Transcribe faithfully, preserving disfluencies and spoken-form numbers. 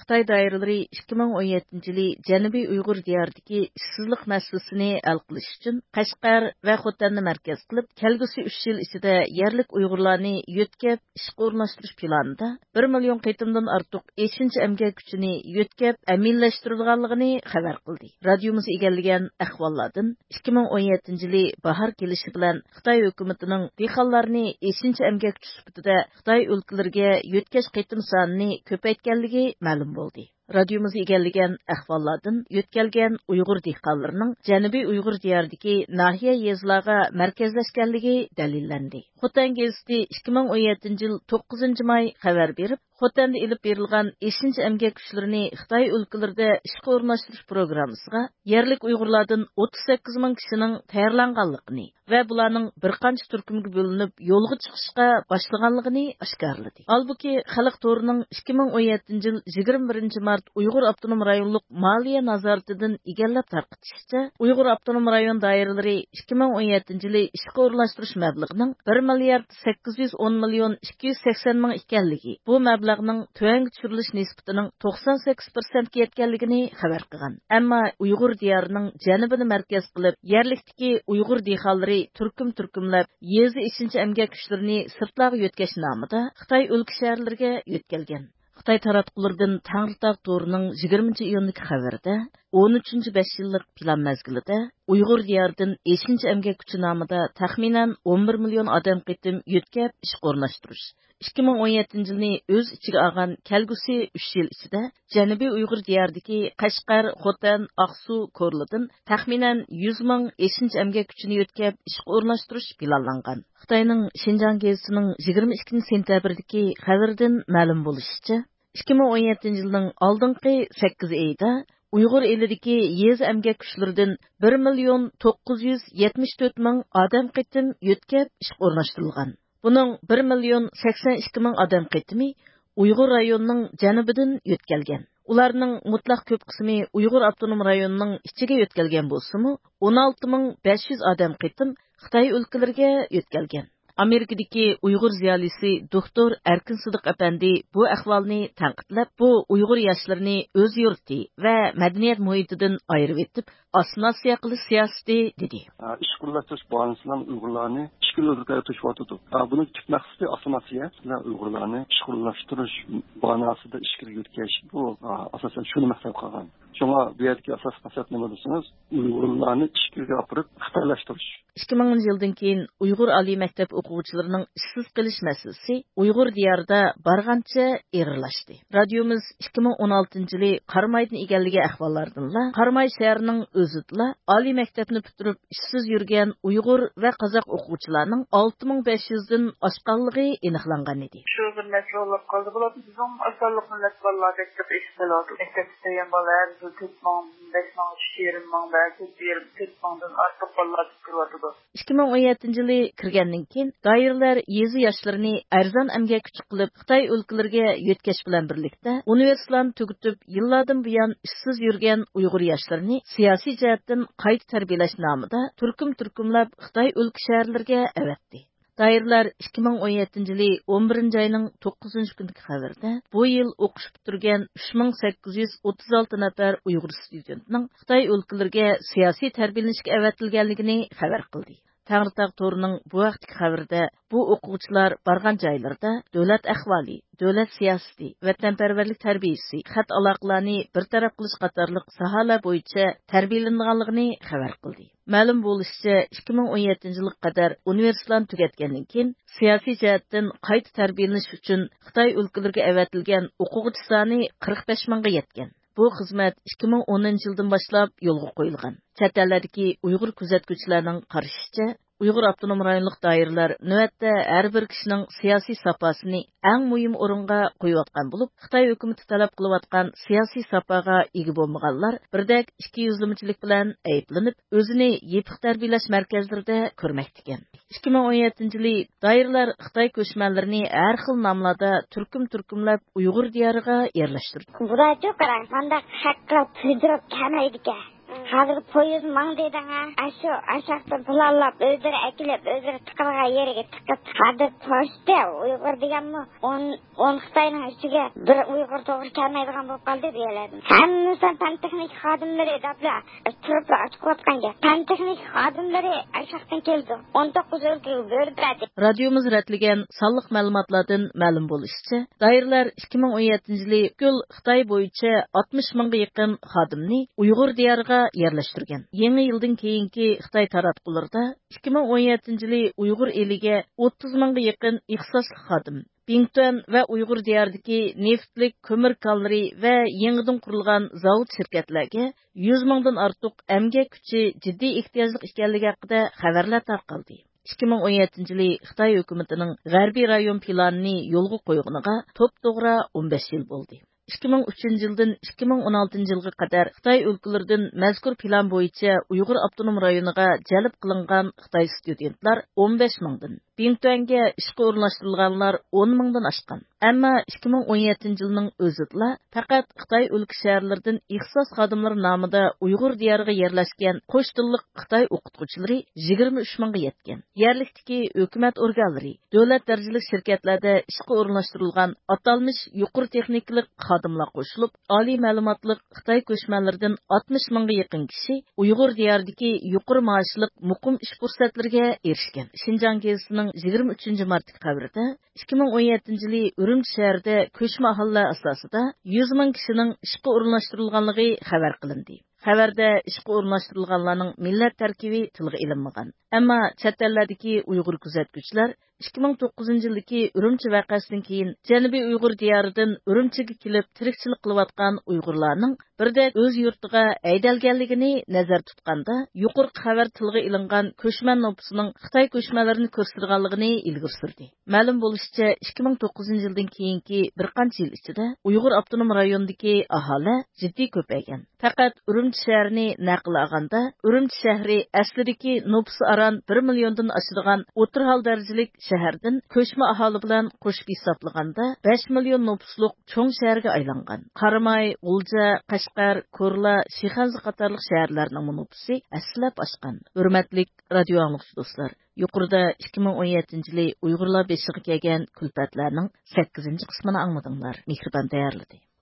خىتاي دائىرىلىرى ئىككى مىڭ ئون يەتتىنچى يىلى جەنۇبىي ئۇيغۇر دىيارىدىكى ئىشسىزلىق مەسىلىسىنى ھەل قىلىش ئۈچۈن قەشقەر ۋە خوتەننى مەركەز قىلىپ، كەلگۈسى ئۈچ يىل ئىچىدە يەرلىك ئۇيغۇرلارنى يۆتكەپ ئىشقا ئورۇنلاشتۇرۇش پىلانىدا بىر مىليون قېتىمدىن ئارتۇق ئېشىنچا ئەمگەك كۈچىنى يۆتكەپ ئەمىنلەشتۈرىدىغانلىقىنى خەۋەر قىلدى. رادىيومىز ئىگىلىگەن ئەھۋاللاردىن، ئىككى مىڭ ئون يەتتىنچى يىلى باھار كېلىشى بىلەن خىتاي ھۆكۈمىتىنىڭ دېھقانلارنى ئېشىنچا ئەمگەكچى سۈپىتىدە خىتاي ئۆلكىلىرىگە يۆتكەش قېتىم سانىنى كۆپەيتكەنلىكى مەلۇم بولدى. رادىيومىز ئىگىلىگەن ئەھۋاللاردىن، يۆتكەلگەن ئۇيغۇر دېھقانلىرىنىڭ جەنۇبىي ئۇيغۇر دىيارىدىكى ناھىيە، يېزىلارغا مەركەزلەشكەنلىكى دەلىللەندى. خوتەن گېزىتى ئىككى مىڭ ئون يەتتىنچى يىل توققۇزىنچى ماي خەۋەر بېرىپ، خوتەندە ئېلىپ بېرىلغان ئېشىنچا ئەمگەك كۈچلىرىنى خىتاي ئۆلكىلىرىدە ئىشقا ئورۇنلاشتۇرۇش پروگراممىسىغا يەرلىك ئۇيغۇرلاردىن ئوتتۇز سەككىز مىڭ كىشىنىڭ تەييارلانغانلىقىنى ۋە بۇلارنىڭ بىر قانچە تۈركۈمگە بۆلۈنۈپ يولغا چىقىشقا باشلىغانلىقىنى ئاشكارىلىدى. ھالبۇكى، خەلق تورىنىڭ ئىككى مىڭ ئون يەتتىنچى يىل يىگىرمە بىرىنچى مارت ئۇيغۇر ئاپتونوم رايونلۇق مالىيە نازارىتىدىن ئىگىلەپ تارقىتىشىچە، ئۇيغۇر ئاپتونوم رايون دائىرىلىرى ئىككى مىڭ ئون يەتتىنچى يىلى ئىشقا ئورۇنلاشتۇرۇش مەبلىغىنىڭ بىر مىليارد سەككىز يۈز ئون مىليون ئىككى يۈز سەكسەن مىڭ ئىكەنلىكى، بۇ مەبلەغنىڭ تۆۋەنگە چۈشۈرۈلۈش نىسبىتىنىڭ توقسان سەككىز پىرسەنتكە يەتكەنلىكىنى خەۋەر قىلغان. ئەمما ئۇيغۇر دىيارىنىڭ جەنۇبىنى مەركەز قىلىپ، يەرلىكتىكى ئۇيغۇر دېھقانلىرى تۈركۈم-تۈركۈملەپ يېزا ئېشىنچا ئەمگەك كۈچلىرىنى سىرتلارغا يۆتكەش نامىدا خىتاي ئۆلكە شەھەرلىرىگە يۆتكەلگەن. خىتاي تاراتقۇلىرىدىن تەڭرىتاغ تورىنىڭ يىگىرمىنچى ئىيۇندىكى خەۋىرىدە، ئون ئۈچىنچى بەش يىللىق پىلان مەزگىلىدە ئۇيغۇر دىيارىدىن ئېشىنچا ئەمگەك كۈچى نامىدا تەخمىنەن ئون بىر مىليون ئادەم قېتىم يۆتكەپ ئىشقا ئورۇنلاشتۇرۇش، ئىككى مىڭ ئون يەتتىنچى يىلنى ئۆز ئىچىگە ئالغان كەلگۈسى ئۈچ يىل ئىچىدە جەنۇبىي ئۇيغۇر دىيارىدىكى قەشقەر، خوتەن، ئاقسۇ، كورلىدىن تەخمىنەن يۈز مىڭ ئېشىنچا ئەمگەك كۈچىنى يۆتكەپ ئىشقا ئورۇنلاشتۇرۇش پىلانلانغان. خىتاينىڭ شىنجاڭ گېزىتىنىڭ يىگىرمە ئىككىنچى سېنتەبىردىكى خەۋىرىدىن مەلۇم بولۇشىچە، ئىككى مىڭ ئون يەتتىنچى يىلنىڭ ئالدىنقى سەككىز ئېيىدا ئۇيغۇر ئېلىدىكى يېزا ئەمگەك كۈچلىرىدىن بىر مىليون توققۇز يۈز يەتمىش تۆت مىڭ ئادەم قېتىم يۆتكەپ ئىشقا ئورۇنلاشتۇرۇلغان. بۇنىڭ بىر مىليون سەكسەن ئىككى مىڭ ئادەم قېتىمى ئۇيغۇر رايونىنىڭ جەنۇبىدىن يۆتكەلگەن. ئۇلارنىڭ مۇتلەق كۆپ قىسمى ئۇيغۇر ئاپتونوم رايونىنىڭ ئىچىگە يۆتكەلگەن بولسىمۇ، ئون ئالتە مىڭ بەش يۈز ئادەم قېتىم خىتاي ئۆلكىلىرىگە يۆتكەلگەن. ئامېرىكىدىكى ئۇيغۇر زىيالىيسى دوكتور ئەركىن سىدىق ئەپەندى بۇ ئەھۋالنى تەنقىدلەپ، بۇ ئۇيغۇر ياشلىرىنى ئۆز يۇرتى ۋە مەدەنىيەت مۇھىتىدىن ئايرىۋېتىپ، ئاسسىمىلياتسىيە قىلىش سىياسىتى، دېدى. ئىشقا ئورۇنلاشتۇرۇش باھانىسى بىلەن ئۇيغۇرلارنى ئىچكىرى ئۆلكىلەرگە توشۇۋاتىدۇ. بۇنىڭ تۈپ مەقسىتى ئاسسىمىلياتسىيە بىلەن ئۇيغۇرلارنى ئىشقا ئورۇنلاشتۇرۇش باھانىسىدا ئىچكىرىگە يۆتكەش. بۇ، ئاساسەن، شۇنى مەقسەت قىلغان. شۇڭا بۇ يەردىكى ئاساسلىق مەقسەت نېمە دېسىڭىز، ئۇيغۇرلارنى ئىچكىرىگە ئاپىرىپ خىتايلاشتۇرۇش. ئىككى مىڭىنچى يىلدىن كېيىن ئۇيغۇر ئالىي مەكتەپ ئوقۇغۇچىلىرىنىڭ ئىشسىز قېلىش مەسىلىسى ئۇيغۇر دىيارىدا بارغانچە ئېغىرلاشتى. رادىيومىز ئىككى مىڭ ئون ئالتىنچى يىلى قارامايدىن ئىگىلىگەن ئەھۋاللاردىنلا، قاراماي شەھىرىنىڭ ئۆزىدىلا ئالىي مەكتەپنى پۈتتۈرۈپ ئىشسىز يۈرگەن ئۇيغۇر ۋە قازاق ئوقۇغۇچىلارنىڭ ئالتە مىڭ بەش يۈزدىن ئاشقانلىقى ئېنىقلانغان ئىدى. شۇ بىر مەسىلە بولۇپ قالدى. بۇلار بىزنىڭ ئاز سانلىق مىللەت بالىلار مەكتەپكە ئېشىپ كېلىۋاتىدۇ. مەكتەپكە كىرگەن بالا ھەر يىل تۆت مىڭ، بەش مىڭ، ئۈچ يېرىم مىڭ، بەزى تۆت يېرىم، تۆت مىڭدىن ئارتۇق بالىلار كىرىۋاتىدۇ. ئىككى مىڭ ئون يەتتىنچى يىلى كىرگەندىن كېيىن، دائىرىلەر يېزا ياشلىرىنى ئەرزان ئەمگەك كۈچى قىلىپ خىتاي ئۆلكىلىرىگە يۆتكەش بىلەن بىرلىكتە، ئۇنىۋېرسىتېتلارنى تۈگىتىپ، يىللاردىن بۇيان ئىشسىز يۈرگەن ئۇيغۇر ياشلىرىنى سىياسىي جەھەتتىن قايتا تەربىيەلەش نامىدا تۈركۈم-تۈركۈملەپ خىتاي ئۆلكە شەھەرلىرىگە ئەۋەتتى. دائىرىلەر ئىككى مىڭ ئون يەتتىنچى يىلى ئون بىرىنچى ئاينىڭ توققۇزىنچى كۈنىدىكى خەۋىرىدە، بۇ يىل ئوقۇش پۈتتۈرگەن ئۈچ مىڭ سەككىز يۈز ئوتتۇز ئالتە نەپەر ئۇيغۇر ستۇدېنتنىڭ خىتاي ئۆلكىلىرىگە سىياسىي تەربىيەلىنىشكە ئەۋەتىلگەنلىكىنى خەۋەر قىلدى. تەڭرىتاغ تورىنىڭ بۇ ھەقتىكى خەۋىرىدە، بۇ ئوقۇغۇچىلار بارغان جايلىرىدا دۆلەت ئەھۋالى، دۆلەت سىياسىتى، ۋەتەنپەرۋەرلىك تەربىيىسى، خەت ئالاقىلارنى بىر تەرەپ قىلىش قاتارلىق ساھەلەر بويىچە تەربىيەلىنىدىغانلىقىنى خەۋەر قىلدى. مەلۇم بولۇشىچە، ئىككى مىڭ ئون يەتتىنچى يىلغا قەدەر ئۇنىۋېرسىتېتلارنى تۈگەتكەندىن كېيىن، سىياسىي جەھەتتىن قايتا تەربىيەلىنىش ئۈچۈن خىتاي ئۆلكىلىرىگە ئەۋەتىلگەن ئوقۇغۇچى سانى قىرىق بەش مىڭغا يەتكەن. بۇ خىزمەت ئىككى مىڭ ئونىنچى يىلدىن باشلاپ يولغا قويۇلغان. چەت ئەللەردىكى ئۇيغۇر كۆزەتكۈچىلەرنىڭ قارىشىچە، ئۇيغۇر ئاپتونوم رايونلۇق دائىرىلەر نۆۋەتتە ھەر بىر كىشىنىڭ سىياسىي ساپاسىنى ئەڭ مۇھىم ئورۇنغا قويۇۋاتقان بولۇپ، خىتاي ھۆكۈمىتى تەلەپ قىلىۋاتقان سىياسىي ساپاغا ئىگە بولمىغانلار بىردەك ئىككى يۈزلىمىچىلىك بىلەن ئەيىبلىنىپ، ئۆزىنى يېپىق تەربىيەلەش مەركەزلىرىدە كۆرمەكتىكەن. ئىككى مىڭ ئون يەتتىنچى يىلى دائىرىلەر خىتاي كۆچمەنلىرىنى ھەر خىل ناملاردا تۈركۈم-تۈركۈملەپ ئۇيغۇر دىيارىغا يەرلەشتۈردى. بۇلارچۇ قاراڭ، مانداق خەق قىلىپ كۈلدۈرۈپ كەلمەيدىكەن. ھازىر پويىز ماڭدى دەڭە. ئاشۇ ئاشاقتىن پىلانلاپ، ئۆزلىرى ئەكېلىپ، ئۆزلىرى تىقىلغان يېرىگە تىقىپ، ھازىر توشتى. ئۇيغۇر دېگەنمۇ ئون، ئون خىتاينىڭ ئىچىگە بىر ئۇيغۇر توغرا كەلمەيدىغان بولۇپ قالدى بۇ يەرلەردىن. ھەممىسى پەن تېخنىكا خادىملىرى دەپلا تۇرۇپلا ئاچىقىۋاتقان گەپ. پەن تېخنىكا خادىملىرى ئاشاقتىن كېلىدۇ. ئون توققۇز ئۆلكىگە بۆلۈپ بەردى. رادىيومىز رەتلىگەن سانلىق مەلۇماتلاردىن مەلۇم بولۇشىچە، دائىرىلەر ئىككى مىڭ ئون يەتتىنچى يىلى پۈتكۈل خىتاي بويىچە ئاتمىش مىڭغا يېقىن خادىمنى ئۇيغۇر دىيارىغا يەرلەشتۈرگەن. يېڭى يىلدىن كېيىنكى خىتاي تاراتقۇلىرىدا ئىككى مىڭ ئون يەتتىنچى يىلى ئۇيغۇر ئېلىگە ئوتتۇز مىڭغا يېقىن ئىختىساسلىق خادىم، بىڭتۈەن ۋە ئۇيغۇر دىيارىدىكى نېفىتلىك كۆمۈر كانلىرى ۋە يېڭىدىن قۇرۇلغان زاۋۇت شىركەتلەرگە يۈز مىڭدىن ئارتۇق ئەمگەك كۈچى جىددىي ئېھتىياجلىق ئىكەنلىكى ھەققىدە خەۋەرلەر تارقالدى. ئىككى مىڭ ئون يەتتىنچى يىلى خىتاي ھۆكۈمىتىنىڭ غەربىي رايون پىلانىنى يولغا قويغىنىغا توپتوغرا ئون بەش يىل بولدى. ئىككى مىڭ ئۈچىنچى يىلدىن ئىككى مىڭ ئون ئالتىنچى يىلغا قەدەر خىتاي ئۆلكىلىرىدىن مەزكۇر پىلان بويىچە ئۇيغۇر ئاپتونوم رايونىغا جەلپ قىلىنغان خىتاي ستۇدېنتلار ئون بەش مىڭدىن، بىڭتۈەنگە ئىشقا ئورۇنلاشتۇرۇلغانلار ئون مىڭدىن ئاشقان. ئەمما ئىككى مىڭ ئون يەتتىنچى يىلنىڭ ئۆزىدىلا پەقەت خىتاي ئۆلكە شەھەرلىرىدىن ئىختىساس خادىملىرى نامىدا ئۇيغۇر دىيارىغا يەرلەشكەن قوش تىللىق خىتاي ئوقۇتقۇچىلىرى يىگىرمە ئۈچ مىڭغا يەتكەن. يەرلىكتىكى ھۆكۈمەت ئورگانلىرى، دۆلەت دەرىجىلىك شىركەتلەردە ئىشقا ئورۇنلاشتۇرۇلغان ئاتالمىش يۇقىرى تېخنىكىلىق خادىملار قوشۇلۇپ، ئالىي مەلۇماتلىق خىتاي كۆچمەنلىرىدىن ئاتمىش مىڭغا يېقىن كىشى ئۇيغۇر دىيارىدىكى يۇقىرى مائاشلىق مۇقىم ئىش پۇرسەتلىرىگە ئېرىشكەن. شىنجاڭ گېزىتىنىڭ يىگىرمە ئۈچىنچى مارتتىكى خەۋىرىدە ئىككى مىڭ ئون يەتتىنچى يىلى ئۈرۈمچى شەھىرىدە كۆچمە ئاھالىلەر ئاساسىدا يۈز مىڭ كىشىنىڭ ئىشقا ئورۇنلاشتۇرۇلغانلىقى خەۋەر قىلىندى. خەۋەردە ئىشقا ئورۇنلاشتۇرۇلغانلارنىڭ مىللەت تەركىبى تىلغا ئېلىنمىغان. ئەمما چەت ئەللەردىكى ئۇيغۇر كۆزەتكۈچىلەر ئىككى مىڭ توققۇزىنچى يىلدىكى ئۈرۈمچى ۋەقەسىدىن كېيىن جەنۇبىي ئۇيغۇر دىيارىدىن ئۈرۈمچىگە كېلىپ تىرىكچىلىك قىلىۋاتقان ئۇيغۇرلارنىڭ بىردەك ئۆز يۇرتىغا ھەيدەلگەنلىكىنى نەزەردە تۇتقاندا، يۇقىرىقى خەۋەر تىلغا ئېلىنغان كۆچمەن نوپۇسىنىڭ خىتاي كۆچمەنلىرىنى كۆرسىتىدىغانلىقىنى ئىلگىرى سۈردى. مەلۇم بولۇشىچە، ئىككى مىڭ توققۇزىنچى يىلدىن كېيىنكى بىر قانچە يىل ئىچىدە ئۇيغۇر ئاپتونوم رايونىدىكى ئاھالە جىددىي كۆپەيگەن. پەقەت ئۈرۈمچى شەھىرىنى نەقىل ئالغاندا، ئۈرۈمچى شەھىرى ئەسلىدىكى نوپۇسى ئاران بىر مىليوندىن ئاشىدىغان ئوتتۇرا ھال دەرىجىلىك شەھەردىن كۆچمە ئاھالە بىلەن قوشۇپ ھېسابلىغاندا، بەش مىليون نوپۇسلۇق چوڭ شەھەرگە ئايلانغان. قاراماي، غۇلجا، قەشقەر، كورلا، شىخەنزە قاتارلىق شەھەرلەرنىڭمۇ نوپۇسى ھەسسىلەپ ئاشقان. ھۆرمەتلىك رادىيو ئاڭلىغۇچى دوستلار، يۇقىرىدا ئىككى مىڭ ئون يەتتىنچى يىلى ئۇيغۇرلار بېشىغا كەلگەن كۈلپەتلەرنىڭ سەككىزىنچى قىسمىنى ئاڭلىدىڭلار. مېھرىبان تەييارلىدى.